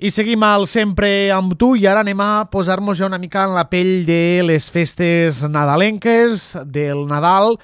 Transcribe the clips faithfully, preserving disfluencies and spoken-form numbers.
I seguim al Sempre amb tu i ara anem a posar-nos ja una mica en la pell de les festes nadalenques, del Nadal.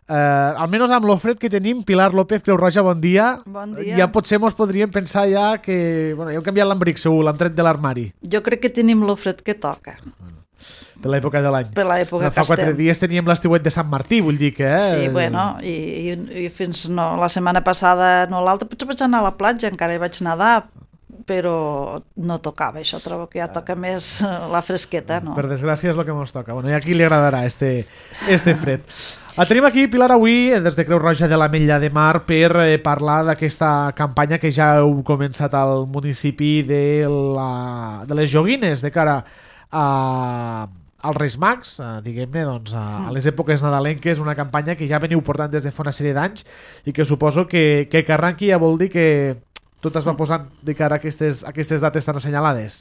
Eh, almenys amb l'ofret que tenim, Pilar López, Creu Roja, bon dia. Bon dia. Ja potser mos podríem pensar ja que... Bueno, ja hem canviat l'embric, segur, l'hem tret de l'armari. Jo crec que tenim l'ofret que toca. Per l'època de l'any. Per l'època Fa que quatre estem. dies teníem l'estiuet de Sant Martí, vull dir que... Eh? Sí, bueno, i, i, i fins no, la setmana passada, no l'altra, potser vaig anar a la platja, encara hi vaig nedar, però no tocava això, trobo que ja toca més la fresqueta, no? Per desgràcia és el que ens toca. Bueno, i a qui li agradarà este, este fred. La tenim aquí, Pilar, avui, des de Creu Roja de l'Ametlla de Mar, per eh, parlar d'aquesta campanya que ja heu començat al municipi de, la, de les joguines de cara a, als Reis Mags, eh, diguem-ne, doncs, a, a les èpoques nadalenques, una campanya que ja veniu portant des de fa una sèrie d'anys i que suposo que, que que arranqui ja vol dir que tot es va posant de cara a aquestes, a aquestes dates tan assenyalades.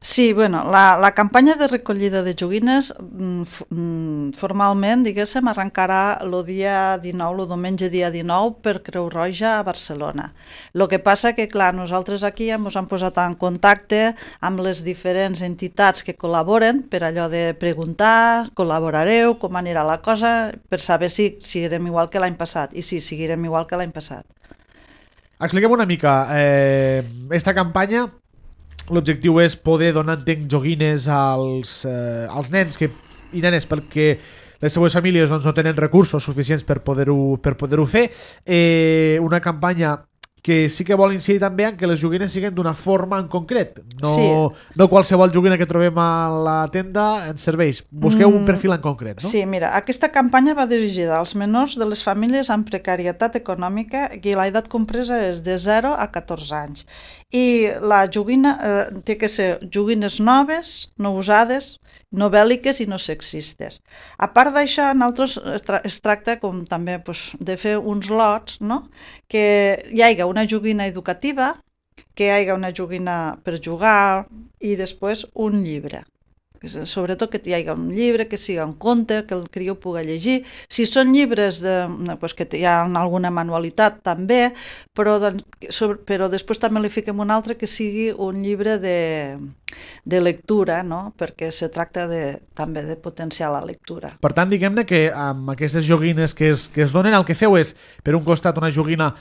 Sí, bueno, la, la campanya de recollida de joguines mm, formalment, diguéssim, arrencarà el dia dinou, el diumenge dia dinou, per Creu Roja a Barcelona. El que passa que, clar, nosaltres aquí ja ens hem posat en contacte amb les diferents entitats que col·laboren per allò de preguntar, col·laborareu, com anirà la cosa, per saber si seguirem igual que l'any passat. I sí, seguirem igual que l'any passat. Expliquem una mica, eh, esta campanya, l'objectiu és poder donar, entenc, joguines als, eh, als nens que, i nenes perquè les seues famílies doncs, no tenen recursos suficients per poder-ho per poder-ho fer. Eh, una campanya que sí que vol incidir també en que les joguines siguin d'una forma en concret. No, Sí. no qualsevol joguina que trobem a la tenda ens serveix. Busqueu un perfil en concret, no? Sí, mira, aquesta campanya va dirigida als menors de les famílies amb precarietat econòmica i l'edat compresa és de zero a catorze anys. I la joguina eh, té que ser joguines noves, no usades, no bèl·liques i no sexistes. A part d'això, nosaltres es, tra es tracta com també pues, de fer uns lots, no? Que hi hagi una joguina educativa, que hi hagi una joguina per jugar i després un llibre. Sobretot que hi hagi un llibre, que sigui un conte, que el criu pugui llegir. Si són llibres de, pues, que hi ha alguna manualitat també, però, sobre, però després també li fiquem un altre que sigui un llibre de, de lectura, no? Perquè se tracta de, també de potenciar la lectura. Per tant, diguem-ne que amb aquestes joguines que es, que es donen, el que feu és, per un costat, una joguina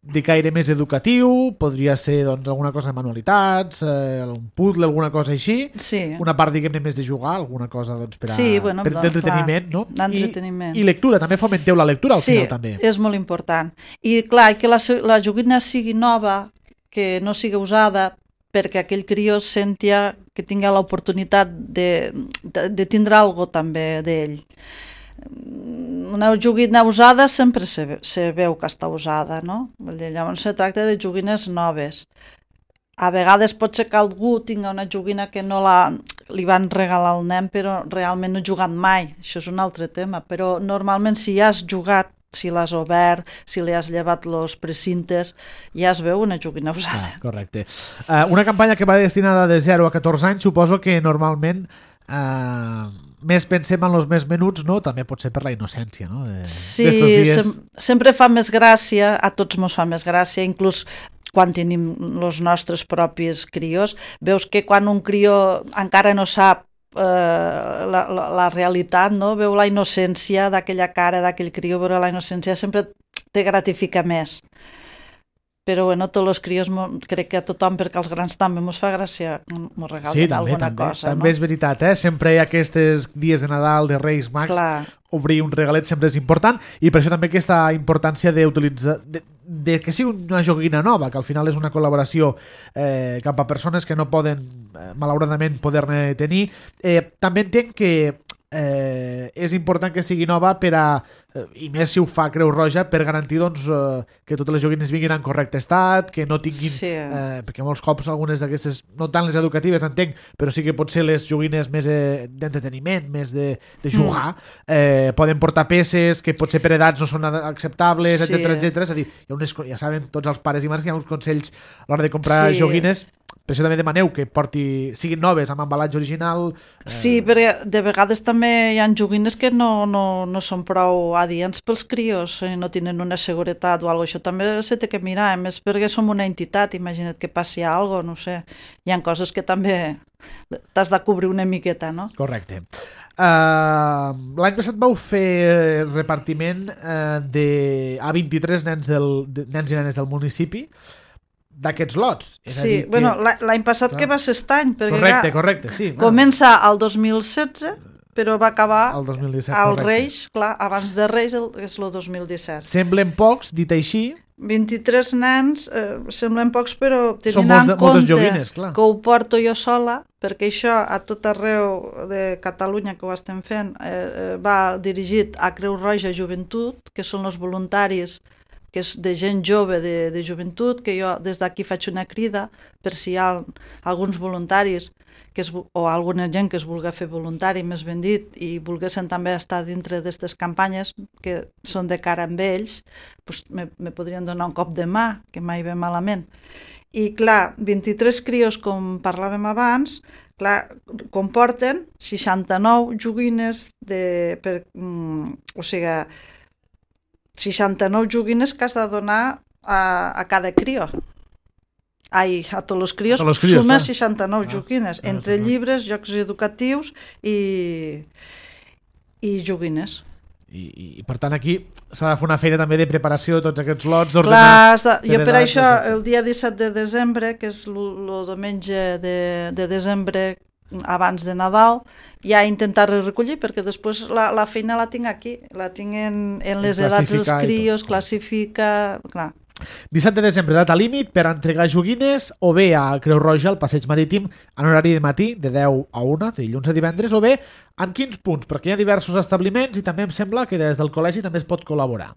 de caire més educatiu, podria ser doncs, alguna cosa de manualitats, eh, un puzzle, alguna cosa així, Sí. una part, diguem-ne, més de jugar, alguna cosa doncs, per a, Sí, bueno, per, doncs, d'entreteniment, clar, no? d'entreteniment. I, I lectura, també fomenteu la lectura al Sí, final, també. és molt important. I clar, que la, la joguina sigui nova, que no sigui usada, perquè aquell crió sentia que tingui l'oportunitat de, de, de tindre alguna cosa també d'ell. Una joguina usada sempre se, se veu que està usada, no? Llavors se tracta de joguines noves. A vegades pot ser que algú tingui una joguina que no la, li van regalar al nen però realment no ha jugat mai, això és un altre tema, però normalment si ja has jugat, si l'has obert, si li has llevat els precintes, ja es veu una joguina usada. Ah, correcte. Uh, una campanya que va destinada de zero a catorze anys, suposo que normalment uh, més pensem en els més menuts, no? També pot ser per la innocència, no? De, Sí, dies... sem sempre fa més gràcia, a tots mos fa més gràcia, inclús quan tenim els nostres propis crios, veus que quan un crió encara no sap eh, la, la, la realitat, no? Veu la innocència d'aquella cara, d'aquell crió, veure la innocència sempre te gratifica més. Però bueno, tots els crios, crec que a tothom, perquè als grans també mos fa gràcia, mos regalen sí, també, alguna també, cosa. també no? és veritat, eh? Sempre hi ha aquests dies de Nadal, de Reis Mags, Clar. obrir un regalet sempre és important i per això també aquesta importància d'utilitzar de, de que sigui una joguina nova, que al final és una col·laboració eh, cap a persones que no poden eh, malauradament poder-ne tenir. Eh, també entenc que eh, és important que sigui nova per a, eh, i més si ho fa Creu Roja, per garantir doncs, eh, que totes les joguines vinguin en correcte estat, que no tinguin Sí. eh, perquè molts cops algunes d'aquestes, no tant les educatives entenc, però sí que pot ser les joguines més eh, d'entreteniment, més de, de jugar, mm. eh, poden portar peces que potser per edats no són acceptables, Sí. etcètera, etcètera. És a dir, hi ha unes, ja saben tots els pares i mares que hi ha uns consells a l'hora de comprar Sí. joguines Per això també demaneu que porti, siguin noves amb embalatge original. Eh... Sí, perquè de vegades també hi ha joguines que no, no, no són prou adients pels crios, eh, no tenen una seguretat o alguna cosa. Això també se té que mirar, a més perquè som una entitat, imagina't que passi alguna cosa, no sé. Hi ha coses que també t'has de cobrir una miqueta, no? Correcte. Uh, l'any passat vau fer repartiment uh, de, a vint-i-tres nens, del, de, nens i nenes del municipi d'aquests lots. És sí, a dir que... bueno, l'any passat clar. Que va ser aquest any, perquè correcte, correcte, sí. Comença el dos mil setze, però va acabar el dos mil disset, al correcte. Reis, clar, abans de Reis el, és el dos mil disset. Semblen pocs, dit així. vint-i-tres nens, eh, semblen pocs, però tenint en compte joguines, clar. que ho porto jo sola, perquè això a tot arreu de Catalunya que ho estem fent eh, va dirigit a Creu Roja Joventut, que són els voluntaris que és de gent jove de, de joventut, que jo des d'aquí faig una crida per si hi ha alguns voluntaris que es, o alguna gent que es vulgui fer voluntari, més ben dit, i volguessin també estar dintre d'aquestes campanyes que són de cara amb ells, doncs me, me podrien donar un cop de mà, que mai ve malament. I clar, vint-i-tres crios, com parlàvem abans, clar, comporten seixanta-nou joguines de, per, mm, o sigui, seixanta-nou joguines que has de donar a, a cada crio. Ai, a tots els crios, els crios suma clar. seixanta-nou ah, joguines, ah, entre ah, llibres, jocs educatius i, i joguines. I, i, i per tant aquí s'ha de fer una feina també de preparació de tots aquests lots, d'ordenar. Clar, jo per edat, això exacte. El dia disset de desembre, que és el diumenge de, de desembre abans de Nadal, ja intentar recollir, perquè després la, la feina la tinc aquí, la tinc en, en les edats dels crios, classifica, clar. disset de desembre, data límit per entregar joguines o bé a Creu Roja, al Passeig Marítim, en horari de matí, de deu a una, de dilluns a divendres, o bé en quins punts, perquè hi ha diversos establiments i també em sembla que des del col·legi també es pot col·laborar.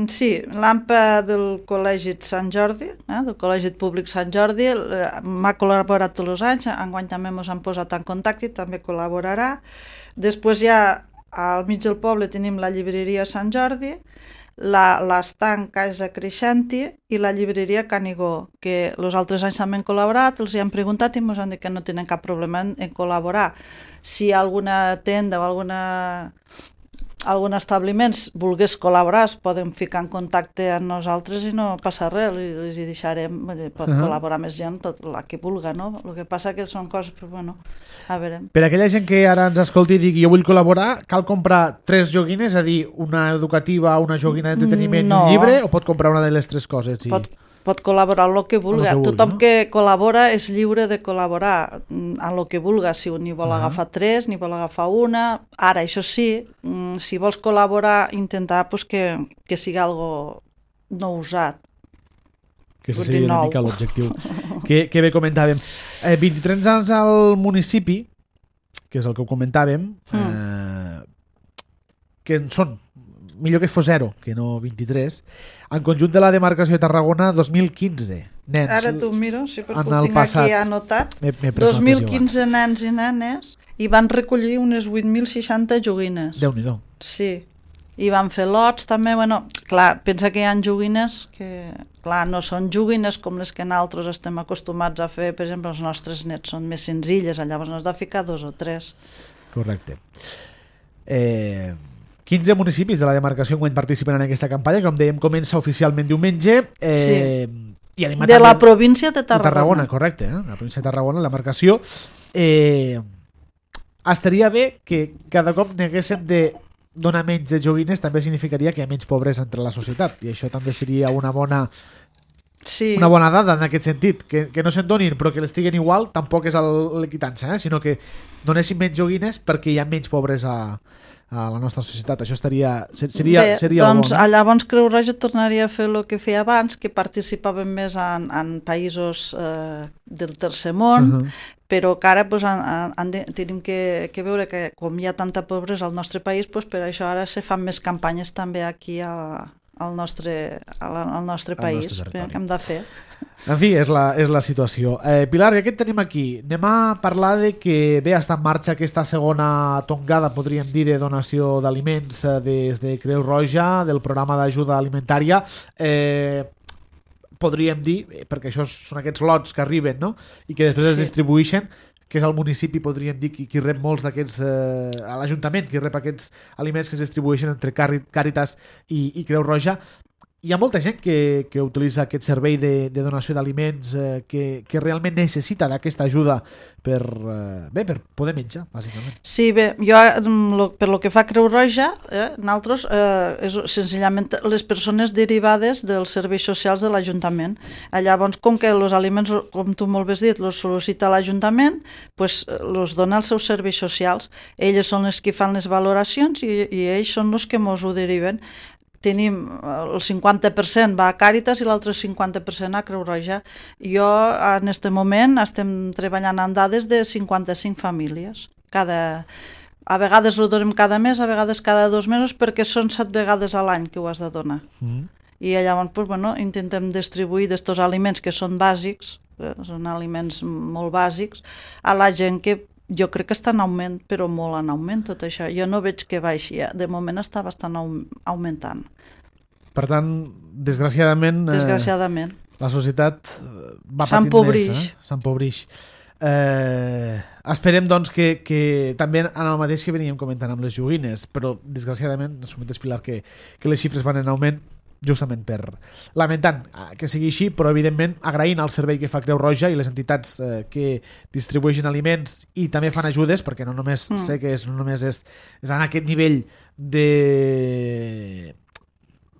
Sí, l'AMPA del Col·legi Sant Jordi, eh, del Col·legi Públic Sant Jordi, eh, m'ha col·laborat tots els anys, enguany també ens han posat en contacte i també col·laborarà. Després ja al mig del poble tenim la llibreria Sant Jordi, l'estanc Casa Creixenti i la llibreria Canigó, que els altres anys també han col·laborat, els hi han preguntat i ens han dit que no tenen cap problema en, en col·laborar. Si alguna tenda o alguna algun establiment volgués col·laborar, es poden ficar en contacte amb nosaltres i no passa res, els hi deixarem, pot uh-huh. col·laborar més gent, tot la que vulga, no? El que passa que són coses, però bueno, a veure. Per aquella gent que ara ens escolti i digui jo vull col·laborar, cal comprar tres joguines, és a dir, una educativa, una joguina d'entreteniment no. i un llibre, o pot comprar una de les tres coses? I... Pot pot col·laborar en el que vulgui. Que vulgui Tothom no? que col·labora és lliure de col·laborar en el que vulgui. Si un n'hi vol uh-huh. agafar tres, n'hi vol agafar una. Ara, això sí, si vols col·laborar, intentar pues, que, que sigui algo no usat. Que això seria una mica l'objectiu. que, que bé comentàvem. Eh, vint-i-tres anys al municipi, que és el que ho comentàvem, mm. eh, que en són millor que fos zero, que no vint-i-tres, en conjunt de la demarcació de Tarragona dos mil quinze nens. Ara t'ho miro, sí, perquè ho tinc passat, aquí anotat. dos mil quinze nens i nenes i van recollir unes vuit mil seixanta joguines. Déu-n'hi-do. Sí, i van fer lots també, bueno, clar, pensa que hi ha joguines que, clar, no són joguines com les que nosaltres estem acostumats a fer, per exemple, els nostres nets són més senzilles, llavors no has de ficar dos o tres. Correcte. Eh... quinze municipis de la demarcació en participen en aquesta campanya, com dèiem, comença oficialment diumenge. Eh, sí. I de la província de Tarragona. De Tarragona, correcte, eh? La província de Tarragona, la demarcació. Eh, estaria bé que cada cop n'haguéssim de donar menys de joguines, també significaria que hi ha menys pobresa entre la societat, i això també seria una bona... Sí. Una bona dada en aquest sentit, que, que no se'n donin però que les tiguen igual, tampoc és l'equitança, eh? Sinó que donessin menys joguines perquè hi ha menys pobresa a la nostra societat. Això estaria, seria, Bé, seria doncs bo, no? Llavors Creu Roja tornaria a fer el que feia abans, que participàvem més en, en països eh, del tercer món, uh-huh. però que ara pues, en, en, tenim que, que veure que com hi ha tanta pobresa al nostre país, pues, per això ara se fan més campanyes també aquí a, al, nostre, al nostre país, nostre que hem de fer. En fi, és la, és la situació. Eh, Pilar, ja que et tenim aquí, anem a parlar de que bé està en marxa aquesta segona tongada, podríem dir, de donació d'aliments des de Creu Roja, del programa d'ajuda alimentària. Eh, podríem dir, perquè això són aquests lots que arriben, no? I que després sí. es distribueixen, que és el municipi, podríem dir, qui, qui rep molts d'aquests, eh, a l'Ajuntament, qui rep aquests aliments que es distribueixen entre Càritas i, i Creu Roja. Hi ha molta gent que, que utilitza aquest servei de, de donació d'aliments eh, que, que realment necessita d'aquesta ajuda per, eh, bé, per poder menjar, bàsicament. Sí, bé, jo, per lo que fa Creu Roja, eh, nosaltres, eh, és senzillament les persones derivades dels serveis socials de l'Ajuntament. Llavors, com que els aliments, com tu molt bé has dit, els sol·licita l'Ajuntament, pues, els dona als seus serveis socials. Elles són les que fan les valoracions i, i ells són els que mos ho deriven. Tenim el cinquanta per cent va a Càritas i l'altre cinquanta per cent a Creu Roja. Jo, en aquest moment, estem treballant en dades de cinquanta-cinc famílies. Cada... A vegades ho donem cada mes, a vegades cada dos mesos, perquè són set vegades a l'any que ho has de donar. Mm. I llavors, pues, bueno, intentem distribuir d'estos aliments que són bàsics, eh, són aliments molt bàsics, a la gent que jo crec que està en augment, però molt en augment tot això. Jo no veig que baixi, de moment està bastant augmentant. Per tant, desgraciadament, desgraciadament. Eh, la societat va patint més, eh? S'empobrix. Eh, esperem, doncs, que, que també en el mateix que veníem comentant amb les joguines, però desgraciadament, ens comentes, Pilar, que, que les xifres van en augment, justament per lamentant que sigui així, però evidentment agraint el servei que fa Creu Roja i les entitats eh, que distribueixen aliments i també fan ajudes, perquè no només mm. sé que és, no només és, és en aquest nivell de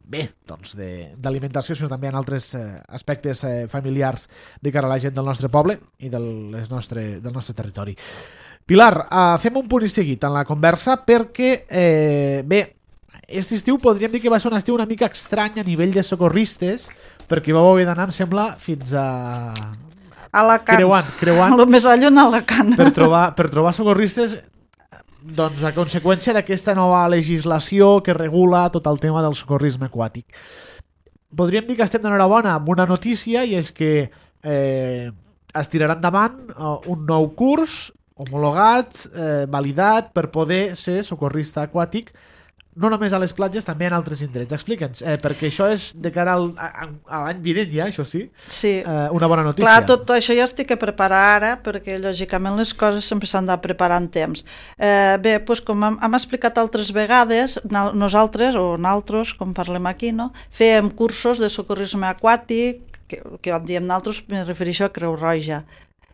bé, doncs d'alimentació, sinó també en altres eh, aspectes eh, familiars de cara a la gent del nostre poble i del, les nostre, del nostre territori. Pilar, eh, fem un punt i seguit en la conversa perquè eh, bé, aquest estiu podríem dir que va ser un estiu una mica estrany a nivell de socorristes, perquè vau haver d'anar, em sembla, fins a... Alacant. Creuant, creuant. El més allò en Alacant. Per trobar, per trobar socorristes, doncs a conseqüència d'aquesta nova legislació que regula tot el tema del socorrisme aquàtic. Podríem dir que estem d'enhorabona amb una notícia, i és que eh, es tirarà endavant uh, un nou curs homologat, eh, validat, per poder ser socorrista aquàtic, no només a les platges, també en altres indrets. Explica'ns, eh, perquè això és de cara al, a, a l'any vinent ja, això sí, sí. Eh, una bona notícia. Clar, tot això ja estic a preparar ara, perquè lògicament les coses sempre s'han de preparar en temps. Eh, bé, doncs com hem, hem explicat altres vegades, nosaltres, o nosaltres, com parlem aquí, no? Fèiem cursos de socorrisme aquàtic, que, que en diem nosaltres, me refereixo a Creu Roja,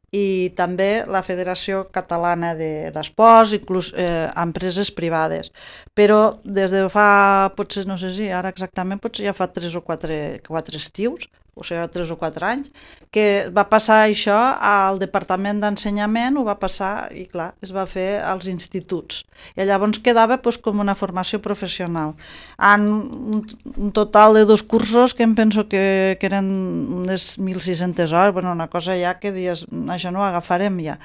i també la Federació Catalana d'Esports, de, inclús eh, empreses privades. Però des de fa, potser, no sé si ara exactament, potser ja fa tres o quatre, quatre estius, o sigui, tres o quatre anys, que va passar això al Departament d'Ensenyament, ho va passar, i clar, es va fer als instituts. I llavors quedava doncs, com una formació professional. En un, un total de dos cursos que em penso que, que eren unes mil sis-centes hores, bueno, una cosa ja que dius, això no ho agafarem ja.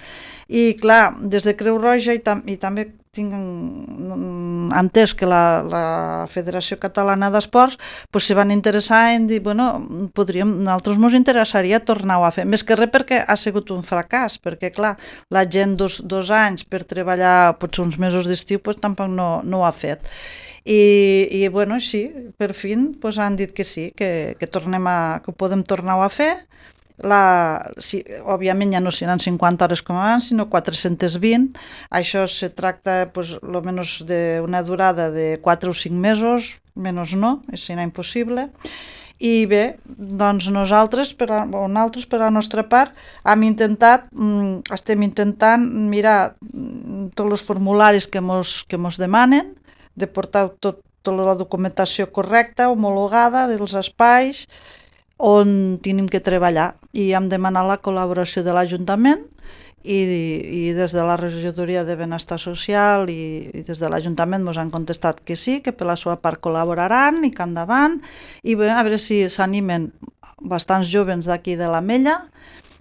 I clar, des de Creu Roja i, tam i també tinc entès que la, la Federació Catalana d'Esports pues, se van interessar en dir, bueno, podríem, nosaltres ens interessaria tornar-ho a fer, més que res perquè ha sigut un fracàs, perquè clar, la gent dos, dos anys per treballar potser uns mesos d'estiu pues, tampoc no, no ho ha fet. I, i bueno, sí, per fi pues, han dit que sí, que, que, tornem a, que ho podem tornar-ho a fer. La, sí, òbviament ja no seran cinquanta hores com abans, sinó quatre-centes vint. Això se tracta pues, lo menos d'una durada de quatre o cinc mesos, menys no, serà impossible. I bé, doncs nosaltres, per a, o nosaltres per a la nostra part, hem intentat, estem intentant mirar tots els formularis que mos, que mos demanen, de portar tot, tota la documentació correcta, homologada dels espais, on tenim que treballar, i hem demanat la col·laboració de l'Ajuntament i, i des de la Regidoria de Benestar Social i, i des de l'Ajuntament ens han contestat que sí, que per la seva part col·laboraran i que endavant, i bé, a veure si s'animen bastants joves d'aquí de l'Ametlla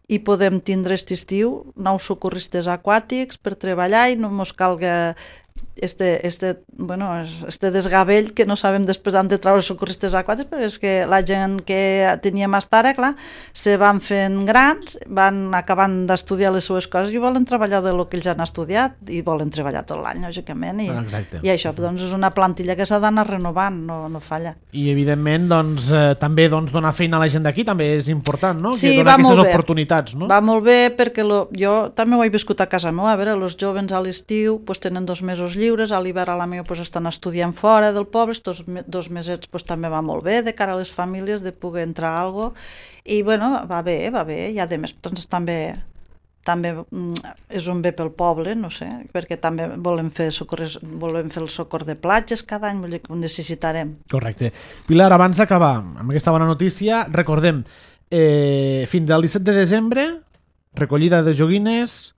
i podem tindre aquest estiu nous socorristes aquàtics per treballar i no ens calga este, este, bueno, este desgavell que no sabem després d'on de treure els socorristes aquàtics, però és que la gent que tenia mastara, clar, se van fent grans, van acabant d'estudiar les seues coses i volen treballar de lo que ells han estudiat i volen treballar tot l'any, lògicament, i, i això doncs, és una plantilla que s'ha d'anar renovant, no, no falla. I evidentment doncs, eh, també doncs, donar feina a la gent d'aquí també és important, no? Sí, que donar va molt aquestes bé. oportunitats, no? Va molt bé perquè lo, jo també ho he viscut a casa meva, a veure, els joves a l'estiu pues, tenen dos mesos lliures, a l'hivern a la meva pues, estan estudiant fora del poble, estos dos mesets pues, també va molt bé de cara a les famílies de poder entrar a algo i bueno, va bé, va bé, i a més doncs, també també és un bé pel poble, no sé, perquè també volem fer, socorres, volem fer el socor de platges cada any, vull dir que ho necessitarem. Correcte. Pilar, abans d'acabar amb aquesta bona notícia, recordem, eh, fins al disset de desembre, recollida de joguines...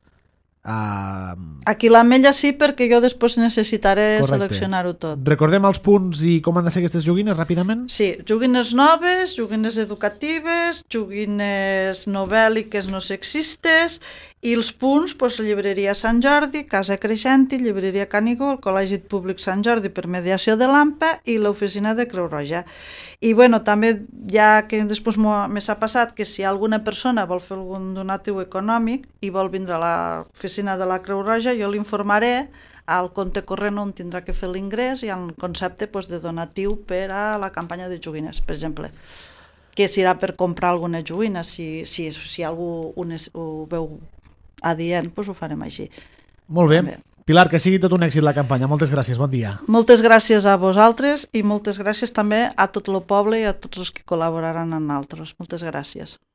Uh... Aquí a l'Ametlla sí, perquè jo després necessitaré Correcte. seleccionar-ho tot. Recordem els punts i com han de ser aquestes joguines, ràpidament? Sí, joguines noves, joguines educatives, joguines novèl·liques no sexistes, i els punts, doncs, llibreria Sant Jordi, Casa Creixenti, llibreria Canigó, el Col·legi Públic Sant Jordi per mediació de l'AMPA i l'oficina de Creu Roja. I bueno, també ja que després me s'ha passat que si alguna persona vol fer algun donatiu econòmic i vol vindre a l'oficina de la Creu Roja, jo l'informaré al compte corrent on tindrà que fer l'ingrés i al concepte doncs, de donatiu per a la campanya de joguines, per exemple, que serà per comprar alguna joguina, si, si, si algú ho, ho veu adient, doncs ho farem així. Molt bé. També. Pilar, que sigui tot un èxit la campanya. Moltes gràcies, bon dia. Moltes gràcies a vosaltres i moltes gràcies també a tot el poble i a tots els que col·laboraran en altres. Moltes gràcies.